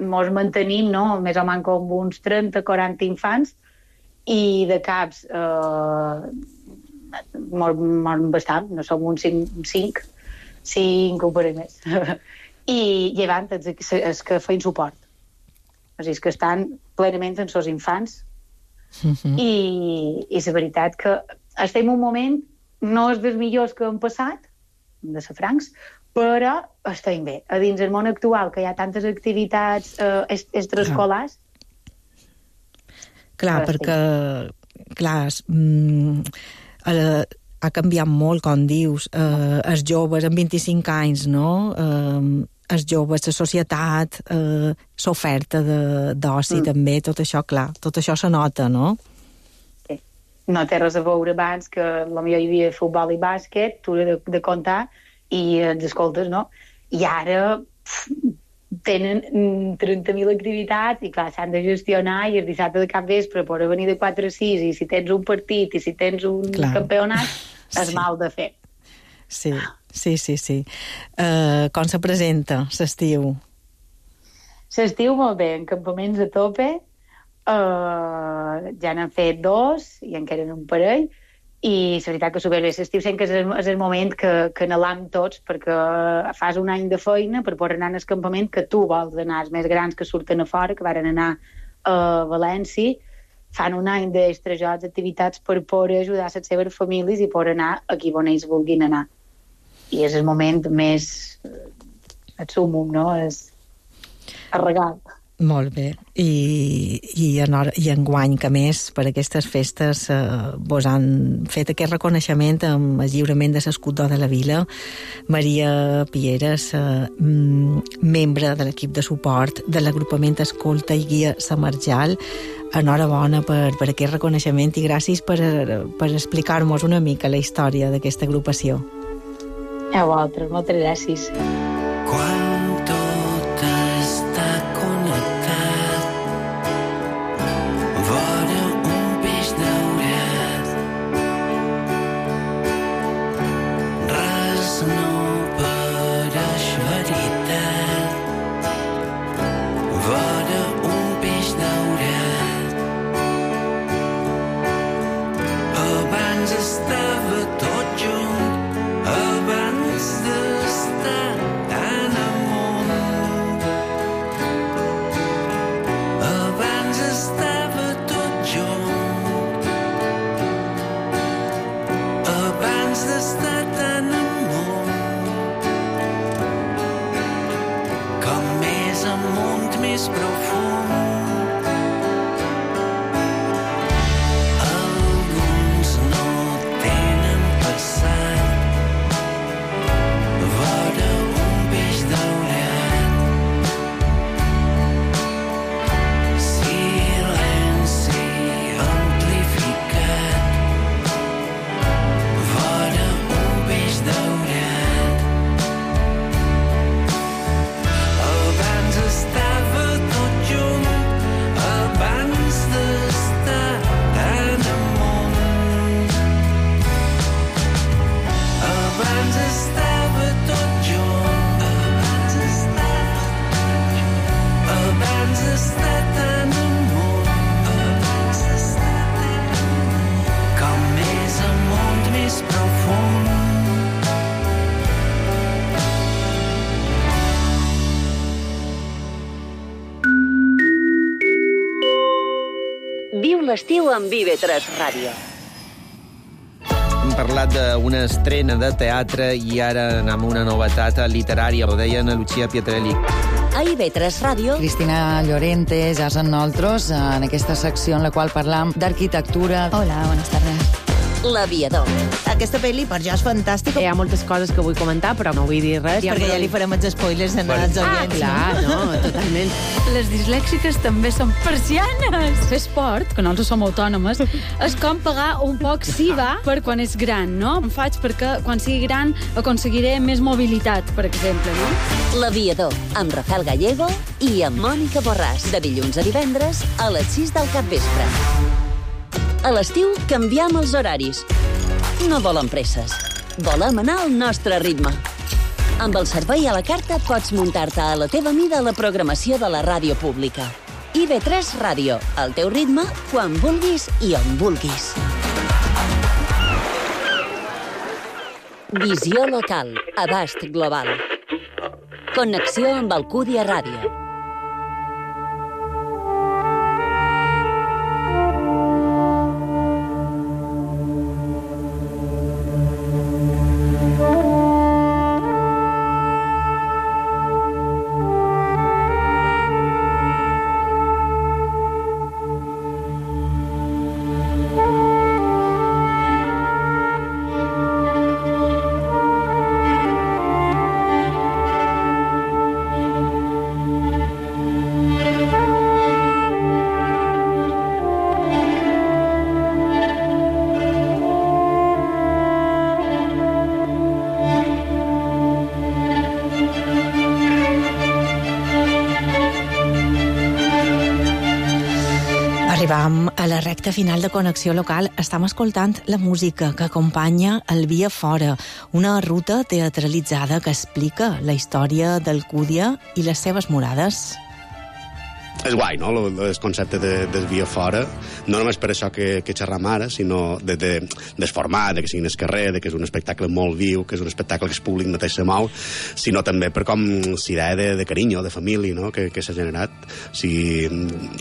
mos mantenim, no?, més o menys com uns trenta quaranta infants, i de caps uh, mos, mos bastant, no som uns cinc, cinc, cinc o per més. I llevant els, els que feien suport. O sigui, que estan plenament en els infants. Uh-huh. I, i la veritat que estem en un moment no és dels millors que han passat de ser francs, però estem bé a dins el món actual, que hi ha tantes activitats eh, extraescolars. Clar, perquè clar, mm, eh, ha canviat molt, com dius, eh, els joves amb vint-i-cinc anys, no? Eh, els joves, la societat, eh, l'oferta d'oci mm. també, tot això, clar, tot això se nota, no? Sí. No té res a veure abans que potser hi havia futbol i bàsquet, tu de, de comptar, i els escoltes, no? I ara pff, tenen trenta mil activitats i, clar, s'han de gestionar i el dissabte de cap vespre poder venir de quatre a sis i si tens un partit i si tens un clar. campionat, és sí. mal de fer. Sí. Sí, sí, sí. Uh, com se presenta l'estiu? L'estiu molt bé, en campaments a tope, uh, ja n'han fet dos i encara un parell, i la veritat que superbé. L'estiu sempre és el, és el moment que, que anhelam tots, perquè fas un any de feina per poder anar al campament que tu vols anar, els més grans que surten a fora, que varen anar a València, fan un any d'extrajocs, activitats per poder ajudar les seves famílies i poder anar a qui on ells vulguin anar. I és el moment més et sumum, no? És el regal. Molt bé. I, i, en, i enguany, que més, per aquestes festes eh, vos han fet aquest reconeixement amb el lliurament de l'escut d'or de la vila. Maria Pieres, eh, membre de l'equip de suport de l'agrupament Escolta i Guia La Marjal, enhorabona per, per aquest reconeixement i gràcies per, per explicar-nos una mica la història d'aquesta agrupació. A vosaltres, moltes gràcies. Quan tot està connectat, vora un peix daurat, res no pareix veritat, vora un peix daurat. Abans estava tot junt, abans d'estar tan amunt, abans estava tot junt, abans d'estar tan amunt, com més amunt més profund. Alguns no tenen per l'estiu amb I V tres Ràdio. Hem parlat d'una estrena de teatre i ara anem a una novetat literària. Ho deia Ana Lucía Pietrelli. A I V tres Ràdio, Cristina Llorente, ja amb nosaltres, en aquesta secció en la qual parlam d'arquitectura. Hola, buenas tardes. L'Aviador. Aquesta pel·li per jo és fantàstica. Hi ha moltes coses que vull comentar, però no vull dir res. Perquè ja li farem els spoilers en els Ah, oients. clar, no, totalment. Les dislèxiques també són persianes. Fer esport, que nosaltres som autònomes, és com pagar un poc S I V A per quan és gran, no? Em faig perquè quan sigui gran aconseguiré més mobilitat, per exemple, no? L'Aviador, amb Rafael Gallego i amb Mònica Borràs, de dilluns a divendres a les sis del capvespre. A l'estiu canviem els horaris. No volem presses. Volem anar al nostre ritme. Amb el servei a la carta pots muntar-te a la teva mida la programació de la ràdio pública. I V tres Ràdio, al teu ritme, quan vulguis i on vulguis. Visió local, abast global. Connexió amb Alcúdia Ràdio. Arribam a la recta final de Connexió Local. Estem escoltant la música que acompanya el Via Fora, una ruta teatralitzada que explica la història d'Alcúdia i les seves murades. És guai, no?, el concepte de, del Via Fora, no només per això que, que xerram ara, sinó de, de, del format, de que sigui en el carrer, de que és un espectacle molt viu, que és un espectacle que el públic mateix se mou, sinó també per com l'idea de, de carinyo, de família, no?, que, que s'ha generat. O sigui,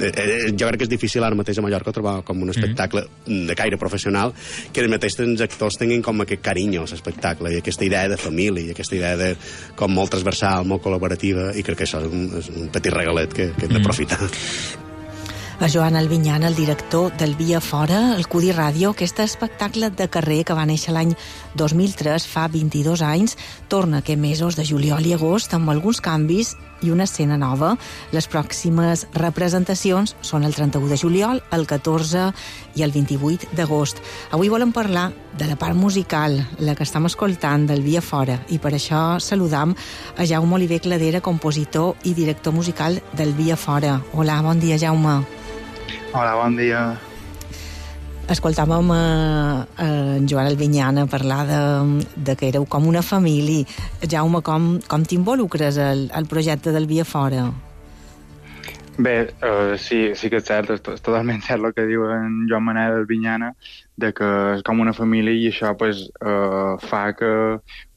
eh, jo crec que és difícil ara mateix a Mallorca trobar com un espectacle mm. de caire professional que els mateixos actors tinguin com aquest carinyo a l'espectacle i aquesta idea de família i aquesta idea de com molt transversal, molt col·laborativa, i crec que això és un, és un petit regalet que, que hem d'aprofitar. A Joan Albinyana, el director del Via Fora, el Cudi Ràdio, aquest espectacle de carrer que va néixer l'any dos mil tres, fa vint-i-dos anys, torna aquests mesos de juliol i agost amb alguns canvis i una escena nova. Les pròximes representacions són el trenta-u de juliol, el catorze i el vint-i-vuit d'agost. Avui volem parlar de la part musical, la que estem escoltant del Via Fora, i per això saludam a Jaume Oliver Cladera, compositor i director musical del Via Fora. Hola, bon dia, Jaume. Hola, bon dia. Escoltàvem a, a en Joan Albinyana parlar de, de que éreu com una família. Jaume, com, com t'involucres al, al projecte del Via Fora? Bé, uh, sí, sí que és cert, és, és totalment cert el que diu en Joan Manel Albinyana, de que és com una família i això pues, uh, fa que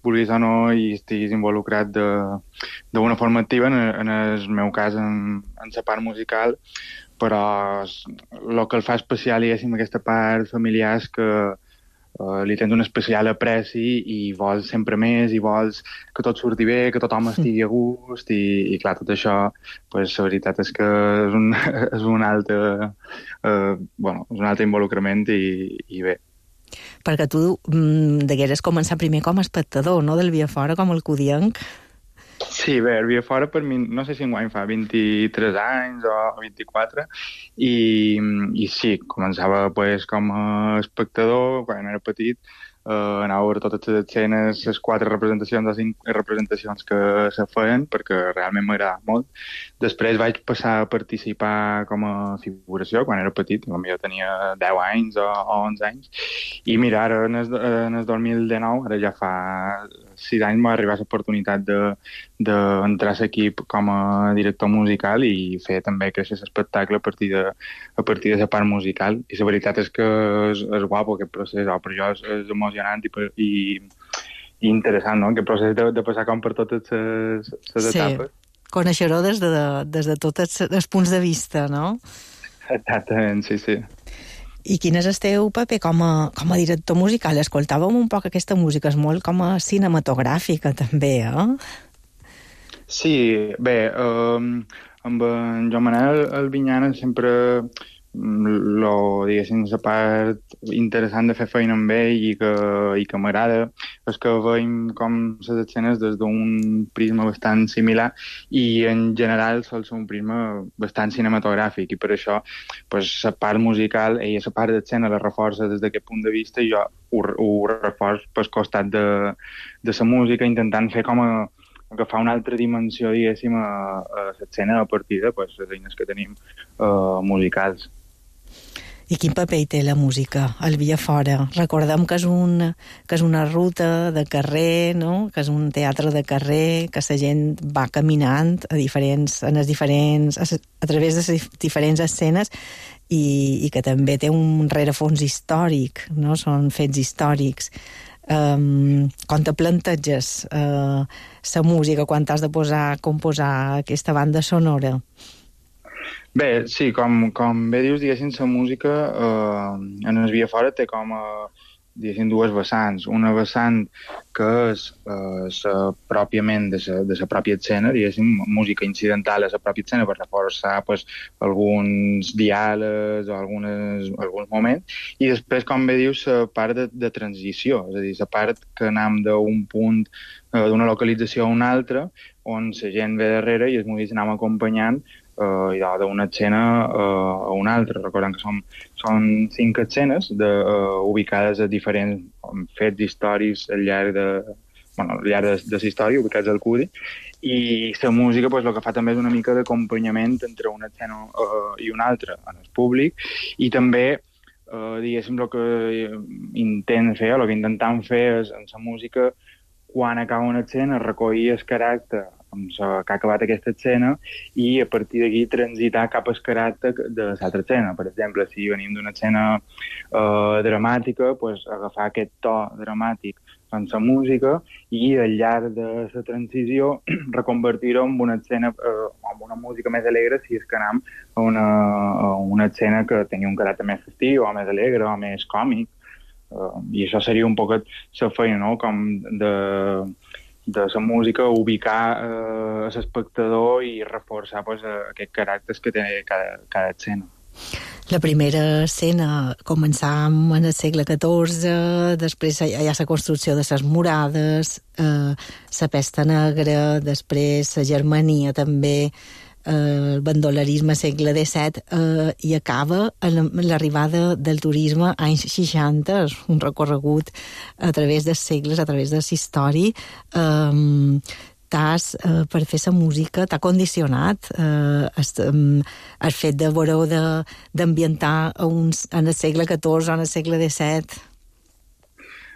vulguis o no i estiguis involucrat d'una forma activa, en, en el meu cas, en, en la part musical, però el que el fa especial, diguéssim, aquesta part familiar és que uh, li tens un especial apreci i vols sempre més, i vols que tot surti bé, que tothom estigui a gust, i, i clar, tot això, pues, la veritat és que és un, és un altre, uh, bueno, és un altre involucrament i, i bé. Perquè tu mm, degueres començar primer com a espectador, no?, del Via Fora, com el cudienc. Sí, bé, el Via Fora per mi, no sé si enguany fa vint-i-tres anys o vint-i-quatre, i, i sí, començava pues, com a espectador, quan era petit, Uh, anava a veure totes les escenes, les quatre representacions o cinc representacions que se feien, perquè realment m'agradava molt. Després vaig passar a participar com a figuració quan era petit, potser tenia deu anys o, o onze anys, i mira, ara en el, en el dos mil dinou, ara ja fa sis anys, m'ha arribat l'oportunitat d'entrar de, a l'equip com a director musical i fer també créixer l'espectacle a partir de a partir de la part musical, i la veritat és que és, és guapo aquest procés, oh, per jo és, és emocionant i, i, i interessant, no?, aquest procés de, de passar com per totes les, les sí. etapes. Conèixer-ho des de, des de tots els punts de vista, no? Exactament, sí, sí. I quin és el teu paper com a, com a director musical? Escoltàvem un poc aquesta música, és molt com a cinematogràfica també, eh? Sí, bé, um, amb en Joan Manel Albinyana sempre lo, diguéssim, la part interessant de fer feina amb ell i que, i que m'agrada és que veiem com les escenes des d'un prisma bastant similar i en general sol ser un prisma bastant cinematogràfic i per això pues, la part musical i la part d'escena la reforça des d'aquest punt de vista i jo ho, ho reforç pel costat de, de la música intentant fer com a agafar una altra dimensió, diguéssim, a, a l'escena a partir de pues, les eines que tenim uh, musicals. I quin paper hi té la música al Viafora? Recordem que és, un, que és una ruta de carrer, no? Que és un teatre de carrer, que la gent va caminant a, diferents, en els diferents, a, a través de les diferents escenes i, i que també té un rerefons històric, no? Són fets històrics. Um, quan te planteges uh, la música, quan t'has de posar, composar aquesta banda sonora? Bé, sí, com, com bé dius, diguéssim, la música eh, en el Viafora té com a, diguéssim, dues vessants. Una vessant que és eh, la, pròpiament de la, de la pròpia escena, diguéssim, música incidental a la pròpia escena per reforçar pues, alguns diàlegs o algunes, alguns moments, i després, com bé dius, la part de, de transició, és a dir, la part que anem d'un punt, eh, d'una localització a una altra, on la gent ve darrere i els músics anem acompanyant Uh, d'una escena uh, a una altra. Recordem que són, són cinc escenes de, uh, ubicades a diferents um, fets històrics al llarg de, bueno, al llarg de, de la història, ubicats al Cudi, i la música pues, el que fa també és una mica d'acompanyament entre una escena uh, i una altra en el públic, i també uh, diguéssim el que intent fer, o el que intentem fer és en la música, quan acaba una escena, recollir el caràcter amb la que ha acabat aquesta escena i a partir d'aquí transitar cap al caràcter de l'altra escena. Per exemple, si venim d'una escena eh, dramàtica, pues, agafar aquest to dramàtic en la música i al llarg de la transició reconvertir-ho en una escena, eh, amb una música més alegre si és que anem a una, a una escena que tingui un caràcter més festiu o més alegre o més còmic. Uh, I això seria un poc la feina, no?, com de, de la música, ubicar uh, l'espectador i reforçar pues, aquests caràcters que té cada, cada escena. La primera escena començàvem en el segle catorze, després hi ha la construcció de les murades, eh, la pesta negra, després la Germania també, eh, el bandolerisme segle disset, eh, i acaba amb l'arribada del turisme anys seixanta, un recorregut a través dels segles, a través de la història. Eh, t'has, eh, per fer la música, t'ha condicionat eh, el, el fet de veure d'ambientar en el segle catorze o en el segle disset?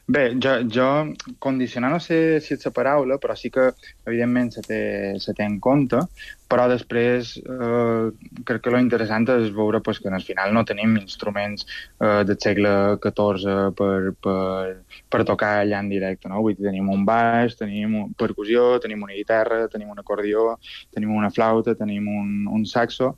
Bé, jo, jo condicionar no sé si és la paraula, però sí que evidentment se té, se té en compte, però després eh, crec que lo interessant és veure pues, que al final no tenim instruments eh, del segle catorze per, per, per tocar allà en directe, no? Vull dir, tenim un baix, tenim una percussió, tenim una guitarra, tenim un acordió, tenim una flauta, tenim un, un saxo,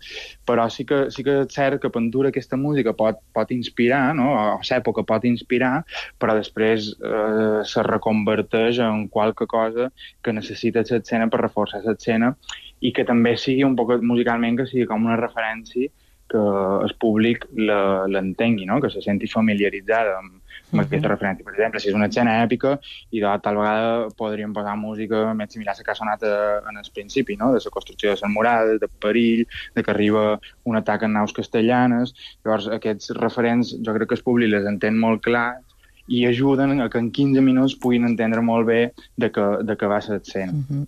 però sí que, sí que és cert que pintura aquesta música pot, pot inspirar, no? A l'època pot inspirar, però després eh, se reconverteix en qualque cosa que necessita l'escena per reforçar l'escena i que també sigui un poc musicalment, que sigui com una referència que el públic l'entengui, no? Que se senti familiaritzada amb, amb uh-huh. aquesta referència. Per exemple, si és una escena èpica, i de tal vegada podríem posar música més similar a la que ha sonat en el principi, no? De la construcció de les murades, de perill, de que arriba un atac en naus castellanes. Llavors, aquests referents, jo crec que el públic les entén molt clar i ajuden a que en quinze minuts puguin entendre molt bé de què, de què va ser l'escena. Uh-huh.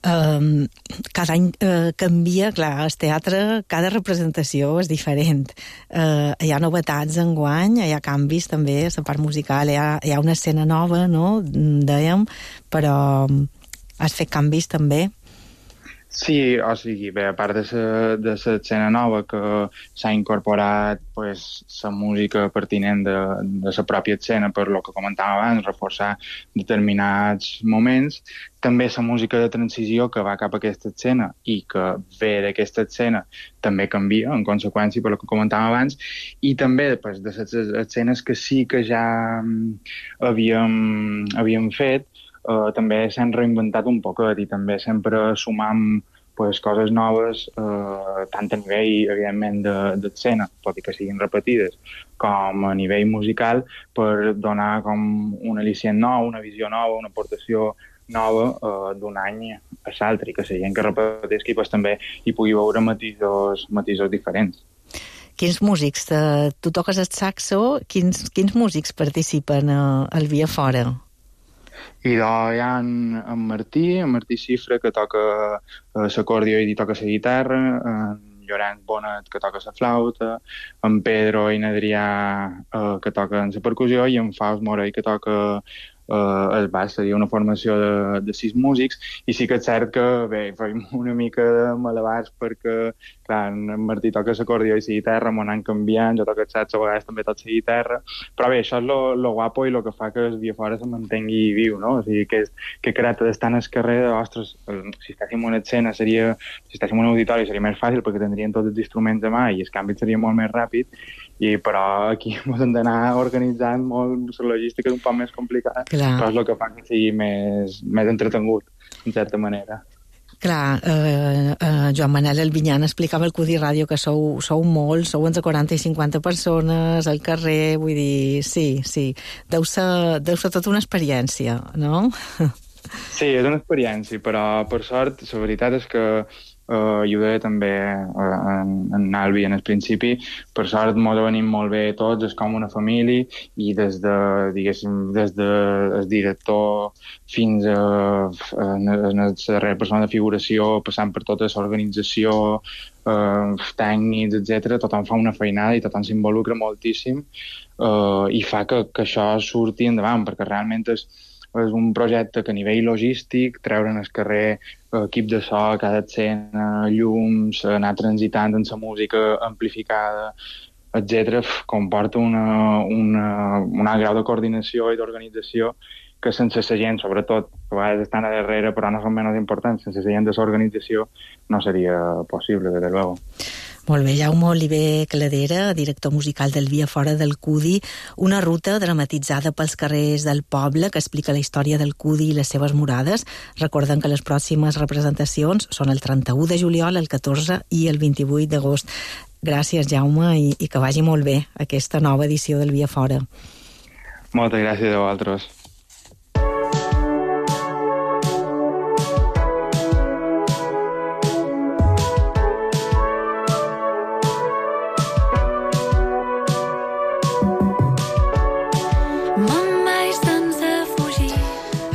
Um, cada any uh, canvia, clar, el teatre, cada representació és diferent. Uh, hi ha novetats enguany, hi ha canvis també a la part musical, hi ha, hi ha una escena nova, no?, dèiem, però has fet canvis també? Sí, o sigui, bé, a part de la de la escena nova que s'ha incorporat pues, la música pertinent de, de la pròpia escena, per lo que comentàvem abans, reforçar determinats moments, també la música de transició que va cap a aquesta escena i que ve d'aquesta escena també canvia, en conseqüència, per lo que comentàvem abans, i també pues, de les escenes que sí que ja havíem, havíem fet, Uh, també s'han reinventat un poquet i també sempre sumam pues, coses noves, uh, tant a nivell, evidentment, d'escena, de, tot i que siguin repetides, com a nivell musical, per donar com un al·licient nou, una visió nova, una aportació nova uh, d'un any a l'altre, i que la gent que repeteixi pues, també hi pugui veure matisos, matisos diferents. Quins músics? Uh, tu toques el saxo, quins, quins músics participen uh, al Via Fora? I doncs hi ha en, en Martí, en Martí Xifra, que toca uh, l'acordió i toca la guitarra, en Llorenç Bonet, que toca la flauta, en Pedro i en Adrià, uh, que toquen la percussió, i en Faust Morell, que toca uh, el baix. Seria una formació de, de sis músics, i sí que és cert que, bé, fem una mica de malabars perquè, clar, en Martí toca l'acordió i la guitarra, m'ho anem canviant, jo toco el saxo, a vegades també toco la guitarra, però bé, això és lo, lo guapo i lo que fa que el Via Fora se mantengui viu, no? O sigui, que, que creat d'estar al carrer, ostres, si estàssim en una escena seria, si estàssim en un auditori seria més fàcil perquè tindrien tots els instruments a mà i el canvi seria molt més ràpid, i però aquí ens hem d'anar organitzant molt, la logística és un poc més complicada, Clar. però és el que fa que sigui més, més entretengut, en certa manera. Clar, eh, eh, Joan Manel Albinyana explicava al Cudi Ràdio que sou, sou molts, sou entre quaranta i cinquanta persones al carrer, vull dir, sí, sí, deu ser, deu ser tota una experiència, no? Sí, és una experiència, però per sort, la veritat és que Uh, i ho deia també uh, en, en Albi en el principi, per sort mos venim molt bé tots, és com una família, i des de, diguéssim, des de el director fins a, a, a la darrera persona de figuració, passant per tota l'organització, uh, tècnics, etcètera, tothom fa una feinada i tothom s'involucra moltíssim, uh, i fa que, que això surti endavant, perquè realment és és un projecte que a nivell logístic, treure'n al carrer equip de so, cada escena, llums, anar transitant en la música amplificada, etcètera, comporta una, una, un alt grau de coordinació i d'organització que sense la gent, sobretot, que a vegades estan a darrere, però no són menys importants, sense la gent de l'organització no seria possible, desde luego. Molt bé, Jaume Oliver Cladera, director musical del Via Fora del Cudi, una ruta dramatitzada pels carrers del poble que explica la història del Cudi i les seves morades. Recorden que les pròximes representacions són el trenta-u de juliol, el catorze i el vint-i-vuit d'agost. Gràcies, Jaume, i, i que vagi molt bé aquesta nova edició del Via Fora. Moltes gràcies a vosaltres.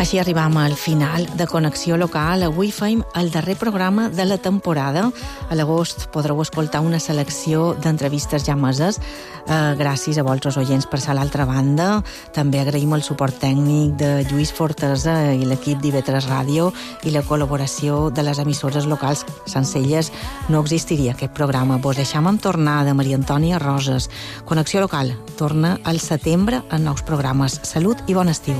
Així arribam al final de Connexió Local. Avui fem el darrer programa de la temporada. A l'agost podreu escoltar una selecció d'entrevistes ja meses. Eh, gràcies a vosaltres oients per ser a l'altra banda. També agraïm el suport tècnic de Lluís Fortesa i l'equip d'I V tres Ràdio i la col·laboració de les emissores locals. Sense elles no existiria aquest programa. Vos deixam amb tornada, Maria Antònia Roses. Connexió Local torna al setembre en nous programes. Salut i bon estiu.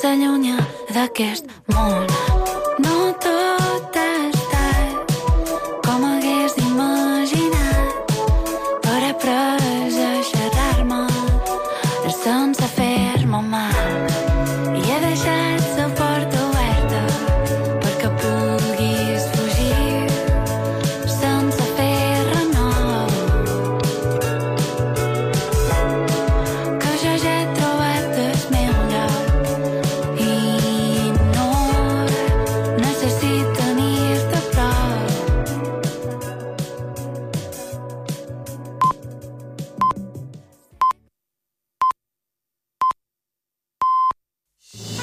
S'allunya d'aquest món.